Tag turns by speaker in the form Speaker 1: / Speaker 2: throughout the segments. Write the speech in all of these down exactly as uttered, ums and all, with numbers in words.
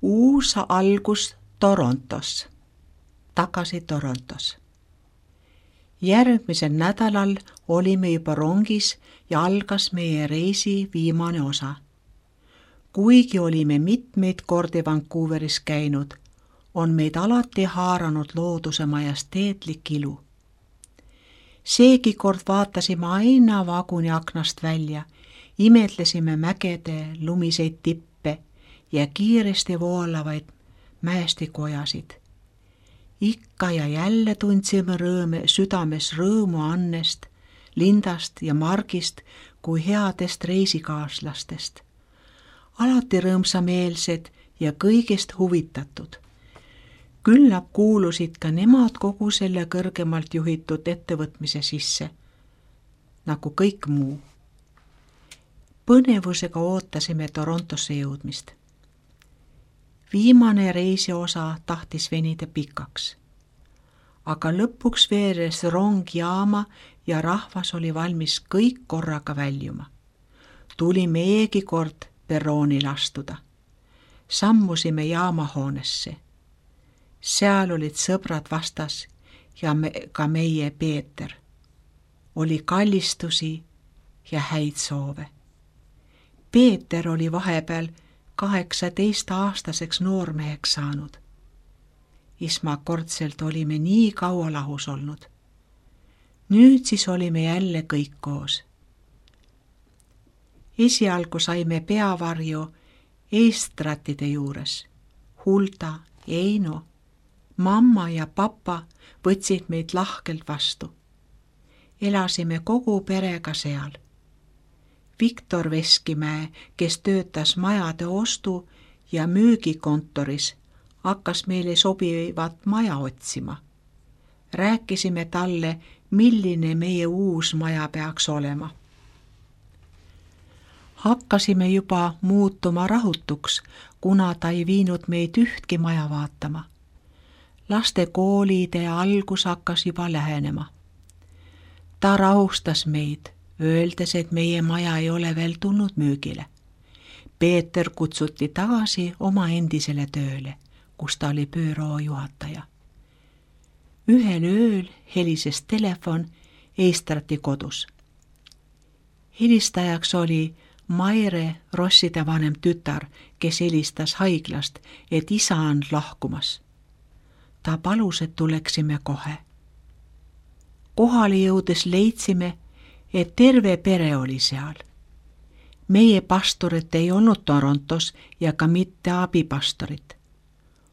Speaker 1: uus algus Torontos, tagasi Torontos. Järgmisel nädalal olime juba rongis ja algas meie reisi viimane osa. Kuigi olime mitmeid kordi Vancouveris käinud, on meid alati haaranud looduse majesteetlik ilu. Seegi kord vaatasime aina vaguni aknast välja, imetlesime mägede lumiseid tippe ja kiiresti voolavaid mäestikuojasid. Ikka ja jälle tundsime rõõme, südames rõõmu Annest, Lindast ja Margist kui headest reisikaaslastest. Alati rõõmsameelsed ja kõigest huvitatud. Küllap kuulusid ka nemad kogu selle kõrgemalt juhitud ettevõtmise sisse, nagu kõik muu. Põnevusega ootasime Torontosse jõudmist. Viimane reisi osa tahtis venida pikaks, aga lõpuks veeres rong jaama ja rahvas oli valmis kõik korraga väljuma. Tuli meegi kord perroonil astuda. Sammusime jaamahoonesse. Seal olid sõbrad vastas ja me, ka meie Peeter. Oli kallistusi ja häid soove. Peeter oli vahepeal kaheksateist aastaseks noormeheks saanud. Esmakordselt olime nii kaua lahus olnud. Nüüd siis olime jälle kõik koos. Esialgu saime peavarju eestratide juures. Hulda, Eino, mamma ja papa võtsid meid lahkelt vastu. Elasime kogu perega seal. Viktor Veskimäe, kes töötas majade ostu ja müügikontoris, hakkas meile sobivat maja otsima. Rääkisime talle, milline meie uus maja peaks olema. Hakkasime juba muutuma rahutuks, kuna ta ei viinud meid ühtki maja vaatama. Laste koolide algus hakkas juba lähenema. Ta rahustas meid, öeldes, et meie maja ei ole veel tulnud müügile. Peeter kutsuti tagasi oma endisele tööle, kus ta oli büüroo juhataja. Ühel ööl helises telefon Eistrati kodus. Helistajaks oli Maire Rosside vanem tütar, kes helistas haiglast, et isa on lahkumas. Ta palus, et tuleksime kohe. Kohale jõudes leidsime, et terve pere oli seal. Meie pastorit ei olnud Torontos ja ka mitte abipastorit.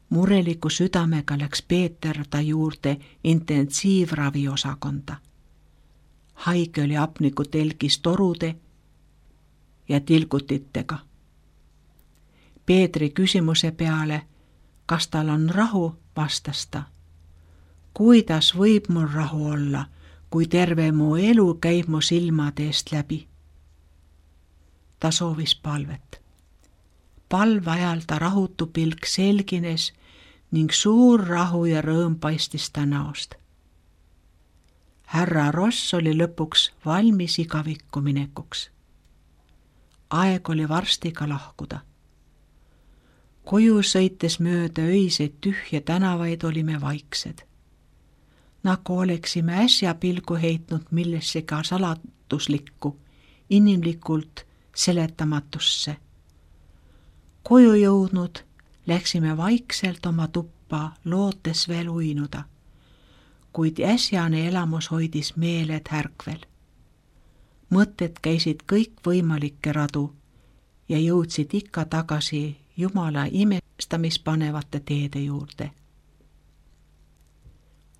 Speaker 1: Mureliku südamega läks Peeter ta juurde intensiivraviosakonda. Haige oli hapniku telgis torude ja tilgutitega. Peetri küsimuse peale, kas tal on rahu, vastas ta. Kuidas võib mul rahu olla, kui terve mu elu käib mu silmade eest läbi? Ta soovis palvet. Palve ajal ta rahutu pilk selgines ning suur rahu ja rõõm paistis ta näost. Härra Ross oli lõpuks valmis igavikku minekuks. Aeg oli varsti ka lahkuda. Koju sõites mööda öiseid tühje tänavaid olime vaiksed. Nagu oleksime äsja pilgu heitnud millessega salatuslikku, inimlikult seletamatusse. Koju jõudnud läksime vaikselt oma tuppa, lootes veel uinuda, kuid äsjane elamus hoidis meeled härkvel. Mõtted käisid kõik võimalikke radu ja jõudsid ikka tagasi Jumala imestamispanevate teede juurde.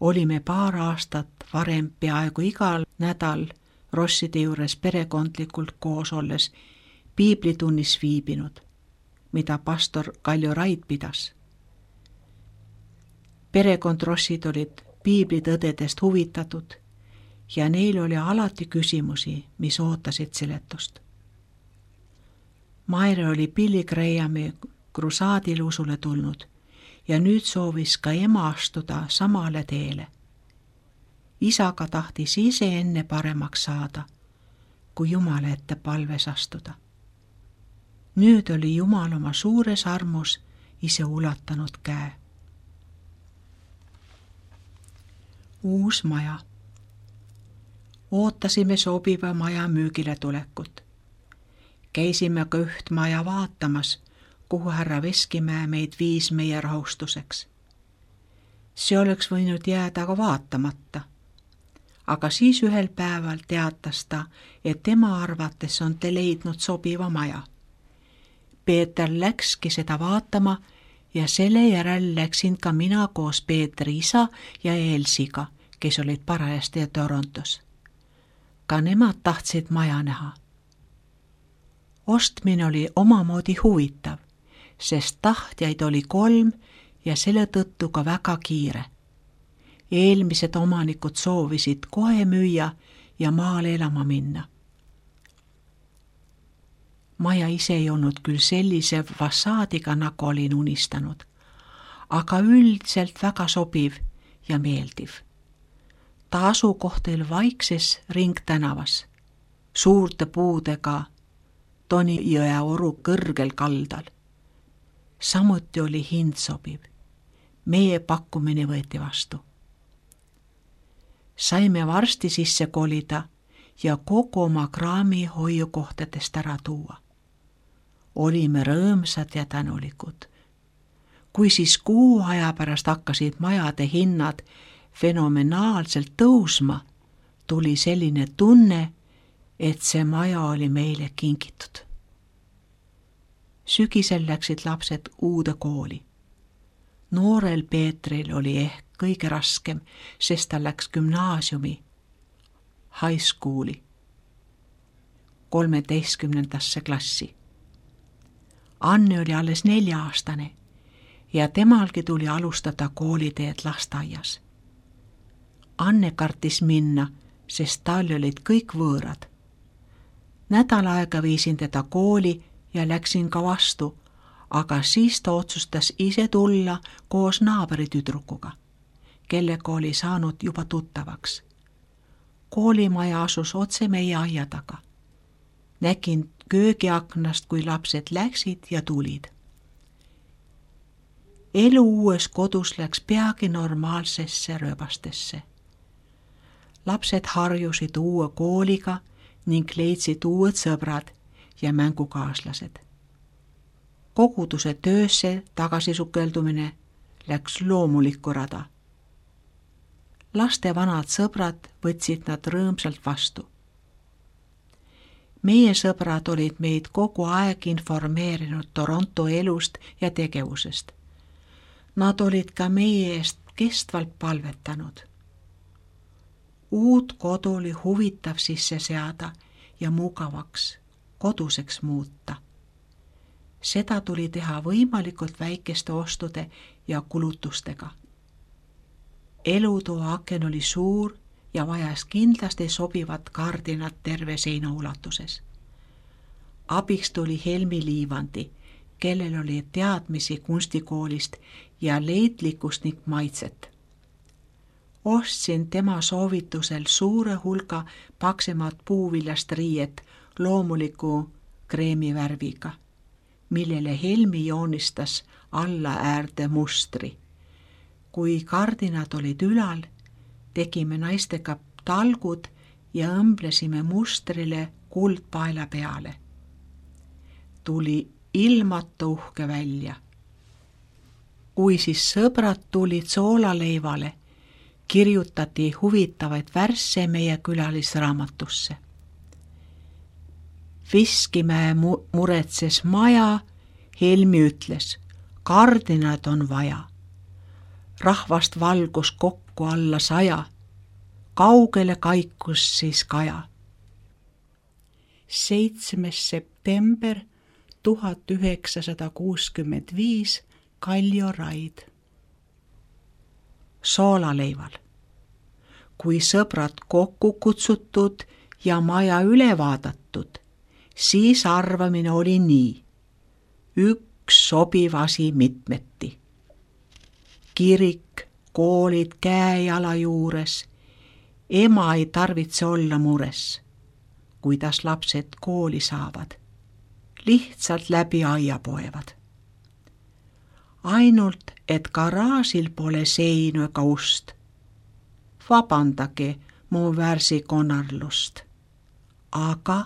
Speaker 1: Olime paar aastat varem peaaegu igal nädal Rosside juures perekondlikult koos olles piiblitunnis viibinud, mida pastor Kalju Raid pidas. Perekond Rossid olid piiblitõdedest huvitatud ja neil oli alati küsimusi, mis ootasid seletust. Maire oli Billy Grahami krusaadil usule tulnud ja nüüd soovis ka ema astuda samale teele. Isaga tahtis ise enne paremaks saada, kui Jumala ette palves astuda. Nüüd oli Jumal oma suures armus ise ulatanud käe. Uus maja. Ootasime sobiva maja müügile tulekut. Käisime ka üht maja vaatamas, kuhu härra Veskimäe meid viis meie rahustuseks. See oleks võinud jääda ka vaatamata. Aga siis ühel päeval teatas ta, et tema arvates on te leidnud sobiva maja. Peeter läkski seda vaatama ja selle järel läksin ka mina koos Peetri isa ja Elsiga, kes olid parajasti Torontos. Ka nemad tahtsid maja näha. Ostmine oli omamoodi huvitav, sest tahtjaid oli kolm ja selle tõttu ka väga kiire. Eelmised omanikud soovisid kohe müüa ja maale elama minna. Maja ise ei olnud küll sellise fassaadiga, nagu olin unistanud, aga üldiselt väga sobiv ja meeldiv. Ta asukoht oli vaikses ringtänavas, suurte puudega Tonijõe oru kõrgel kaldal. Samuti oli hind sobiv. Meie pakkumine võeti vastu. Saime varsti sisse kolida ja kogu oma kraami hoiukohtadest ära tuua. Olime rõõmsad ja tänulikud. Kui siis kuu aja pärast hakkasid majade hinnad fenomenaalselt tõusma, tuli selline tunne, et see maja oli meile kingitud. Sügisel läksid lapsed uude kooli. Noorel Peetril oli ehk kõige raskem, sest ta läks gümnaasiumi, high schooli, kolmeteistkümnendasse klassi. Anne oli alles nelja-aastane ja temalgi tuli alustada kooliteed lasteaias. Anne kartis minna, sest tal olid kõik võõrad. Nädal aega viisin teda kooli ja läksin ka vastu, aga siis ta otsustas ise tulla koos naabritüdrukuga, kellega oli saanud juba tuttavaks. Koolimaja asus otse meie aia taga. Nägin köögiaknast, kui lapsed läksid ja tulid. Elu uues kodus läks peagi normaalsesse rööbastesse. Lapsed harjusid uue kooliga ning leidsid uued sõbrad ja mängukaaslased. Koguduse töösse tagasisukeldumine läks loomulikku rada. Laste vanad sõbrad võtsid nad rõõmsalt vastu. Meie sõbrad olid meid kogu aeg informeerinud Toronto elust ja tegevusest. Nad olid ka meie eest kestvalt palvetanud. Uut kodu oli huvitav sisse seada ja mugavaks, koduseks muuta. Seda tuli teha võimalikult väikeste ostude ja kulutustega. Elutoa aken oli suur ja vajas kindlasti sobivat kardinat terve seina ulatuses. Abiks tuli Helmi Liivandi, kellel oli teadmisi kunstikoolist ja leidlikkust ning maitset. Ostsin tema soovitusel suure hulga paksemat puuviljast riiet loomuliku kreemivärviga, millele Helmi joonistas alla äärde mustri. Kui kardinad olid ülal, tegime naistega talgud ja õmblesime mustrile kuldpaela peale. Tuli ilmata uhke välja. Kui siis sõbrad tulid soolaleivale, kirjutati huvitavaid värsse meie külalisraamatusse. Veskimäe muretses maja, Helmi ütles, kardinad on vaja. Rahvast valgus kokku alla saja, kaugele kaikus siis kaja. seitsmes september tuhat üheksasada kuuskümmend viis Kaljo Raid. Soolaleival. Kui sõbrad kokku kutsutud ja maja üle vaadatud, siis arvamine oli nii. Üks sobiv asi mitmeti. Kirik, koolid käe-jala juures. Ema ei tarvitse olla mures, kuidas lapsed kooli saavad. Lihtsalt läbi aia poevad. ainult et garaažil pole seinu ega ust. Vabandage mu värsi konarlust. Aga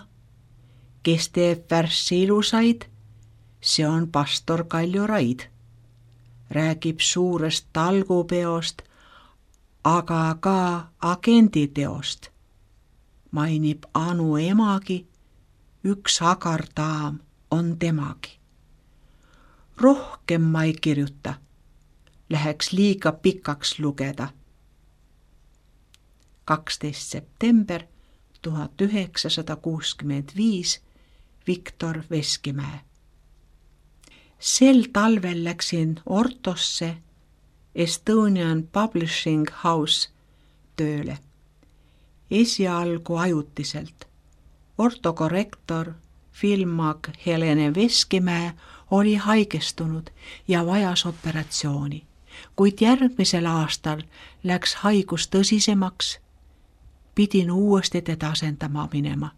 Speaker 1: kes teeb värssi ilusaid, see on pastor Kalju Raid. Räägib suurest talgupeost, aga ka agenditeost. Mainib Anu emagi, üks agar daam on temagi. Rohkem ma ei kirjuta, läheks liiga pikaks lugeda. kaksteist september tuhat üheksasada kuuskümmend viis Viktor Veskimäe. Sel talvel läksin Ortosse Estonian Publishing House tööle. Esialgu ajutiselt. Ortokorrektor filmag Helene Veskimäe oli haigestunud ja vajas operatsiooni, kuid järgmisel aastal läks haigus tõsisemaks, pidin uuesti teda asendama minema.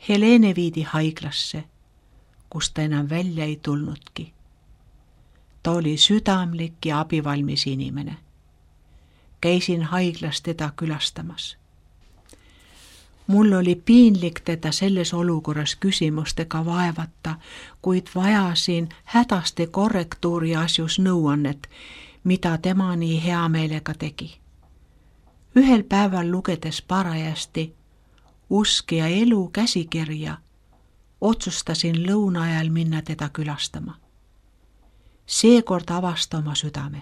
Speaker 1: Helene viidi haiglasse, kus ta enam välja ei tulnudki. Ta oli südamlik ja abivalmis inimene. Käisin haiglas teda külastamas. Mul oli piinlik teda selles olukorras küsimustega vaevata, kuid vajasin hädasti korrektuuri asjus nõuannet, mida tema nii hea meelega tegi. Ühel päeval lugedes parajasti Usk ja elu käsikirja, otsustasin lõuna ajal minna teda külastama. Seekord avasta oma südame.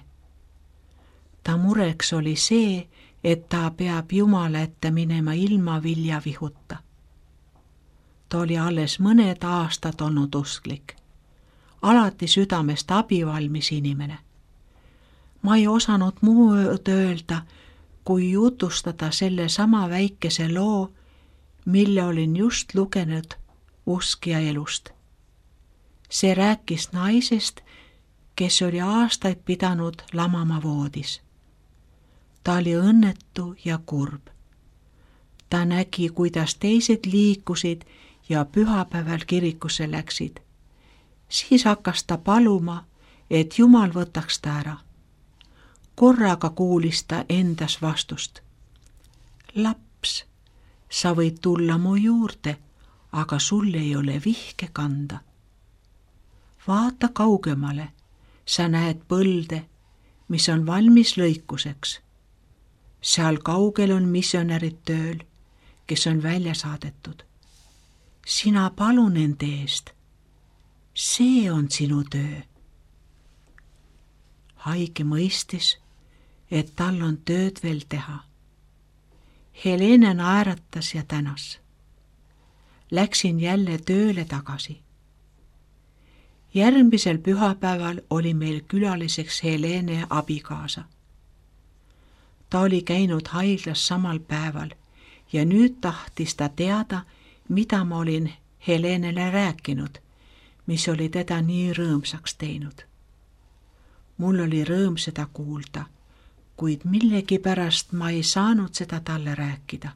Speaker 1: Ta mureks oli see, et ta peab Jumala ette minema ilma viljavihuta. Ta oli alles mõned aastad olnud usklik, alati südamest abivalmis inimene. Ma ei osanud muud öelda, kui jutustada selle sama väikese loo, mille olin just lugenud Usk ja elust. See rääkis naisest, kes oli aastaid pidanud lamama voodis. Ta oli õnnetu ja kurb. Ta nägi, kuidas teised liikusid ja pühapäeval kirikusse läksid. Siis hakkas ta paluma, et Jumal võtaks ta ära. Korraga kuulis ta endas vastust. Laps, sa võid tulla mu juurde, aga sul ei ole vihke kanda. Vaata kaugemale, sa näed põlde, mis on valmis lõikuseks. Seal kaugel on missionärid tööl, kes on välja saadetud. Sina palu nende eest. See on sinu töö. Haige mõistis, et tal on tööd veel teha. Helene naeratas ja tänas. Läksin jälle tööle tagasi. Järgmisel pühapäeval oli meil külaliseks Helene abikaasa. Ta oli käinud haiglas samal päeval ja nüüd tahtis ta teada, mida ma olin Helenele rääkinud, mis oli teda nii rõõmsaks teinud. Mul oli rõõm seda kuulda, kuid millegipärast ma ei saanud seda talle rääkida.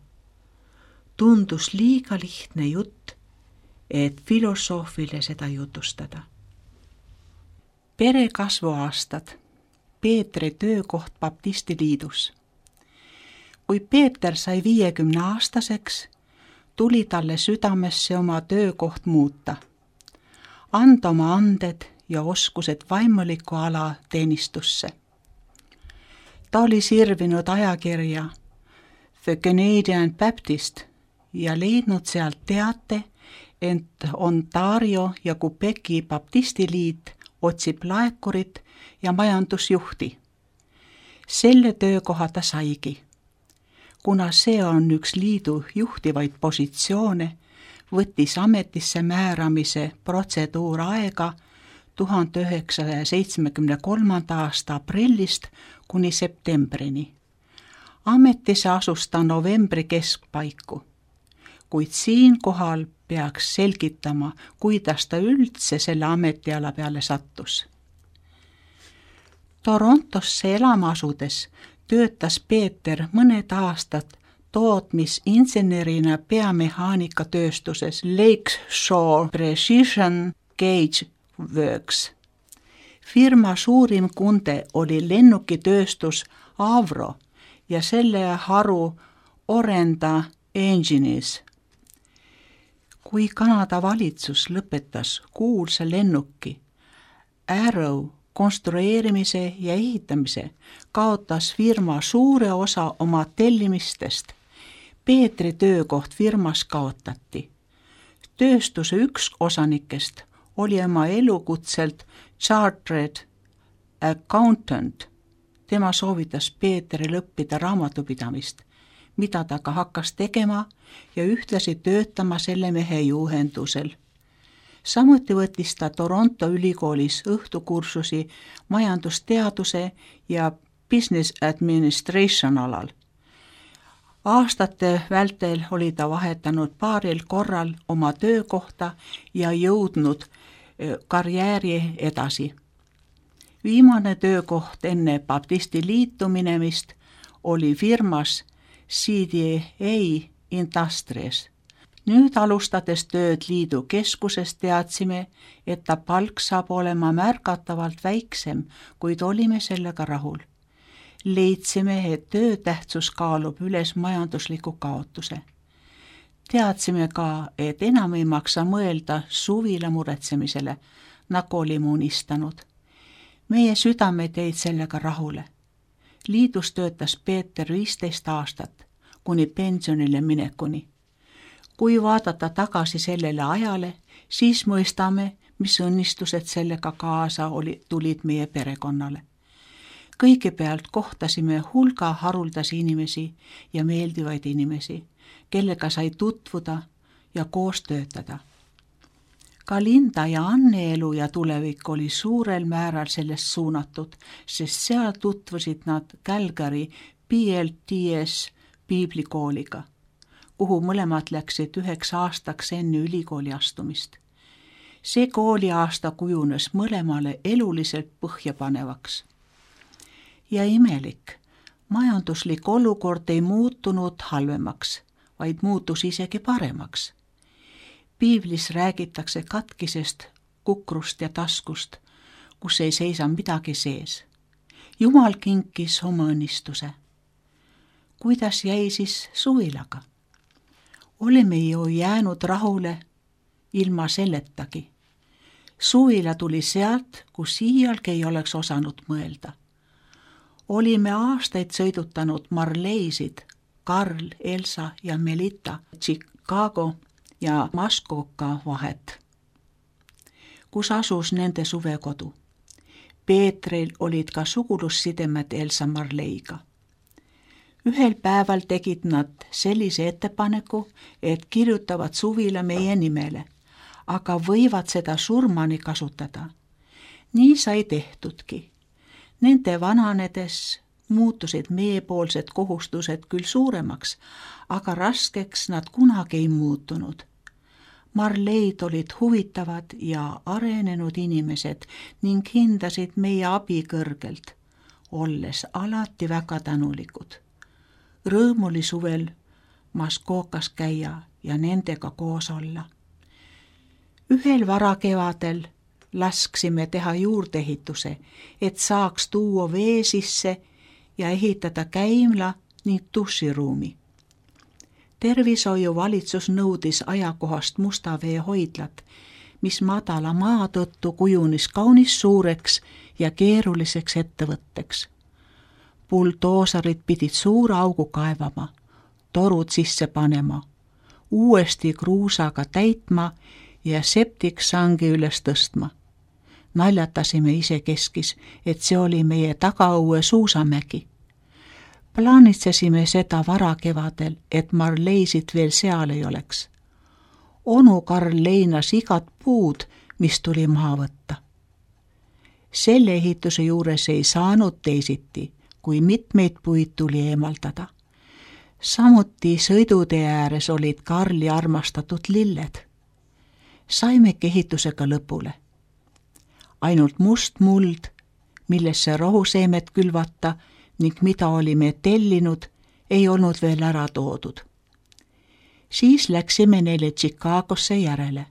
Speaker 1: Tundus liiga lihtne jutt, et filosoofile seda jutustada. Pere kasvuaastad. Peetri töökoht Baptisti liidus. Kui Peeter sai viiekümne aastaseks, tuli talle südamesse oma töökoht muuta. Anda oma anded ja oskused vaimuliku ala teenistusse. Ta oli sirvinud ajakirja The Canadian Baptist ja leidnud sealt teate, et Ontario ja Quebeci baptistiliit otsib laekurit ja majandusjuhti. Selle töökoha ta saigi. Kuna see on üks liidu juhtivaid positsioone, võttis ametisse määramise protseduur aega tuhande üheksasaja seitsmekümne kolmanda aasta aprillist kuni septembrini. Ametisse asus ta novembri keskpaiku, kuid siinkohal peaks selgitama, kuidas ta üldse selle ametiala peale sattus. Torontosse elama asudes töötas Peeter mõned aastad tootmisinsenerina peamehaanikatööstuses Lakeshore Precision Gauge Works. Firma suurim kunde oli lennukitööstus Avro ja selle haru Orenda Engineers. Kui Kanada valitsus lõpetas kuulsa lennuki Arrow konstrueerimise ja ehitamise, kaotas firma suure osa oma tellimistest. Peetri töökoht firmas kaotati. Tööstuse üks osanikest oli oma elukutselt chartered accountant. Tema soovitas Peetril õppida raamatupidamist, mida ta ka hakkas tegema ja ühtlasi töötama selle mehe juhendusel. Samuti võttis ta Toronto ülikoolis õhtukursusi majandusteaduse ja business administration alal. Aastate vältel oli ta vahetanud paaril korral oma töökohta ja jõudnud karjääri edasi. Viimane töökoht enne Baptisti liitu minemist oli firmas C D A Industries. Nüüd alustades tööd liidu keskuses teadsime, et ta palk saab olema märgatavalt väiksem, kuid olime sellega rahul. Leidsime, et töö tähtsus kaalub üles majandusliku kaotuse. Teadsime ka, et enam ei maksa mõelda suvila muretsemisele, nagu olime unistanud. Meie südamed jäid sellega rahule. Liidus töötas Peeter viisteist aastat, kuni pensionile minekuni. Kui vaadata tagasi sellele ajale, siis mõistame, mis õnnistused sellega kaasa oli, tulid meie perekonnale. Kõigepealt kohtasime hulga haruldasi inimesi ja meeldivaid inimesi, kellega sai tutvuda ja koos töötada. Ka Linda ja Anne elu ja tulevik oli suurel määral sellest suunatud, sest seal tutvusid nad Calgary B L T S piiblikooliga, kuhu mõlemad läksid üheks aastaks enne ülikooli astumist. See kooliaasta kujunes mõlemale eluliselt põhjapanevaks. Ja imelik, majanduslik olukord ei muutunud halvemaks, vaid muutus isegi paremaks. Piiblis räägitakse katkisest, kukrust ja taskust, kus ei seisa midagi sees. Jumal kinkis oma õnnistuse. Kuidas jäi siis suvilaga? Olime ju jäänud rahule ilma selletagi. Suvila tuli sealt, kus iialgi ei oleks osanud mõelda. Olime aastaid sõidutanud Marleisid, Karl, Elsa ja Melita, Chicago ja Muskoka vahet, kus asus nende suvekodu. Peetril olid ka sugulussidemed Elsa Marleiga. Ühel päeval tegid nad sellise ettepaneku, et kirjutavad suvila meie nimele, aga võivad seda surmani kasutada. Nii sai tehtudki. Nende vananedes muutusid meiepoolsed kohustused küll suuremaks, aga raskeks nad kunagi ei muutunud. Marleid olid huvitavad ja arenenud inimesed ning hindasid meie abi kõrgelt, olles alati väga tänulikud. Rõõm oli suvel Muskokas käia ja nendega koos olla. Ühel varakevadel lasksime teha juurdeehituse, et saaks tuua vee sisse ja ehitada käimla ning duširuumi. Tervishoiu valitsus nõudis ajakohast Mustavee hoidlat, mis madala maa tõttu kujunis kaunis suureks ja keeruliseks ettevõtteks. Buldoosarid pidid suure augu kaevama, torud sisse panema, uuesti kruusaga täitma ja septiksangi üles tõstma. Naljatasime ise keskis, et see oli meie tagaõue suusamägi. Plaanitsesime seda varakevadel, et Marleisid veel seal ei oleks. Onu Karl leinas igat puud, mis tuli maha võtta. Selle ehituse juures ei saanud teisiti, kui mitmeid puid tuli eemaldada. Samuti sõidutee ääres olid Karli armastatud lilled. Saimegi ehitusega lõpule. Ainult must muld, millesse rohuseemet külvata ning mida olime tellinud, ei olnud veel ära toodud. Siis läksime neile Chicagosse järele.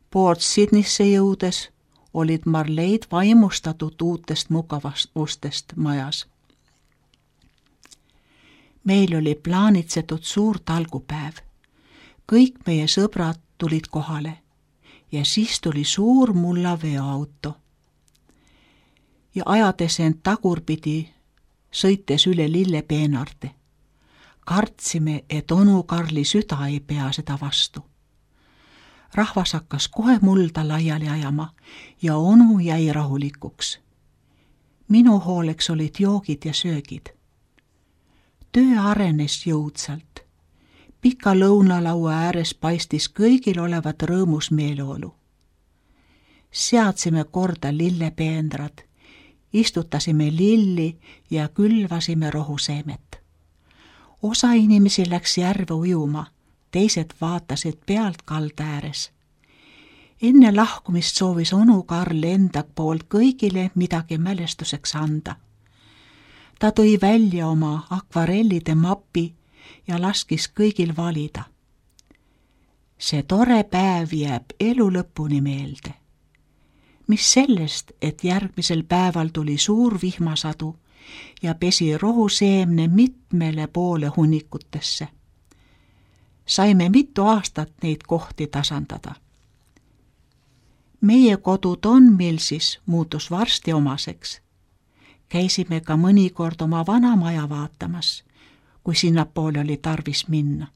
Speaker 1: Port Sydneysse jõudes olid Marleid vaimustatud uutest mugavustest majas. Meil oli plaanitsetud suur talgupäev. Kõik meie sõbrad tulid kohale ja siis tuli suur mulla veoauto. Ja ajades end tagurpidi, sõites üle lillepeenarde. Kartsime, et onu Karli süda ei pea seda vastu. Rahvas hakkas kohe mulda laiali ajama ja onu jäi rahulikuks. Minu hooleks olid joogid ja söögid. Töö arenes jõudsalt. Pika lõunalaua ääres paistis kõigil olevat rõõmus meeleolu. Seadsime korda lillepeendrad, istutasime lilli ja külvasime rohuseemet. Osa inimesi läks järve ujuma, teised vaatasid pealt kalda ääres. Enne lahkumist soovis onu Karl enda poolt kõigile midagi mälestuseks anda. Ta tõi välja oma akvarellide mapi ja laskis kõigil valida. See tore päev jääb elu lõpuni meelde. Mis sellest, et järgmisel päeval tuli suur vihmasadu ja pesi rohuseemne mitmele poole hunnikutesse. Saime mitu aastat neid kohti tasandada. Meie kodu Tonmilsis muutus varsti omaseks. Käisime ka mõnikord oma vana maja vaatamas, kui sinnapoole oli tarvis minna.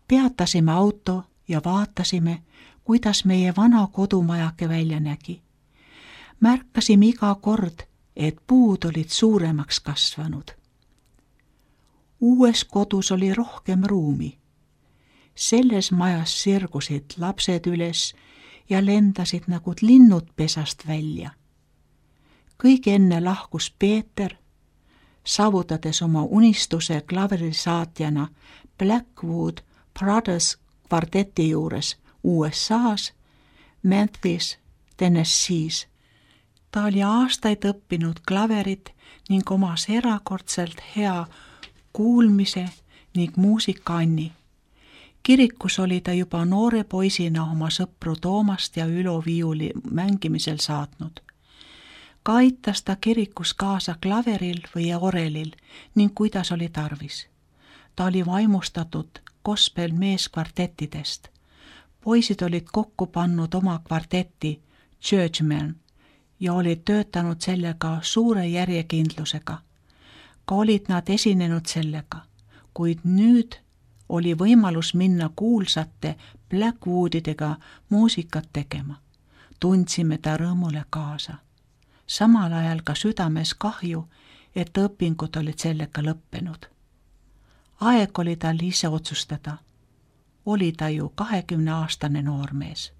Speaker 1: Peatasime auto ja vaatasime, kuidas meie vana kodumajake välja nägi. Märkasime iga kord, et puud olid suuremaks kasvanud. Uues kodus oli rohkem ruumi. Selles majas sirgusid lapsed üles ja lendasid nagu linnud pesast välja. Kõige enne lahkus Peeter, saavutades oma unistuse klaverisaatjana Blackwood Brothers kvarteti juures U S A-s, Memphis, Tennessee's. Ta oli aastaid õppinud klaverit ning omas erakordselt hea kuulmise ning muusikaanni. Kirikus oli ta juba noore poisina oma sõpru Toomast ja Ülo viiuli mängimisel saatnud. Ka aitas ta kirikus kaasa klaveril või orelil ning kuidas oli tarvis. Ta oli vaimustatud gospel meeskvartettidest. Poisid olid kokku pannud oma kvartetti Churchman ja olid töötanud sellega suure järjekindlusega. Ka olid nad esinenud sellega, kuid nüüd oli võimalus minna kuulsate Blackwoodidega muusikat tegema. Tundsime ta rõõmule kaasa. Samal ajal ka südames kahju, et õpingud olid sellega lõppenud. Aeg oli tal ise otsustada. Oli ta ju kahekümne aastane noormees.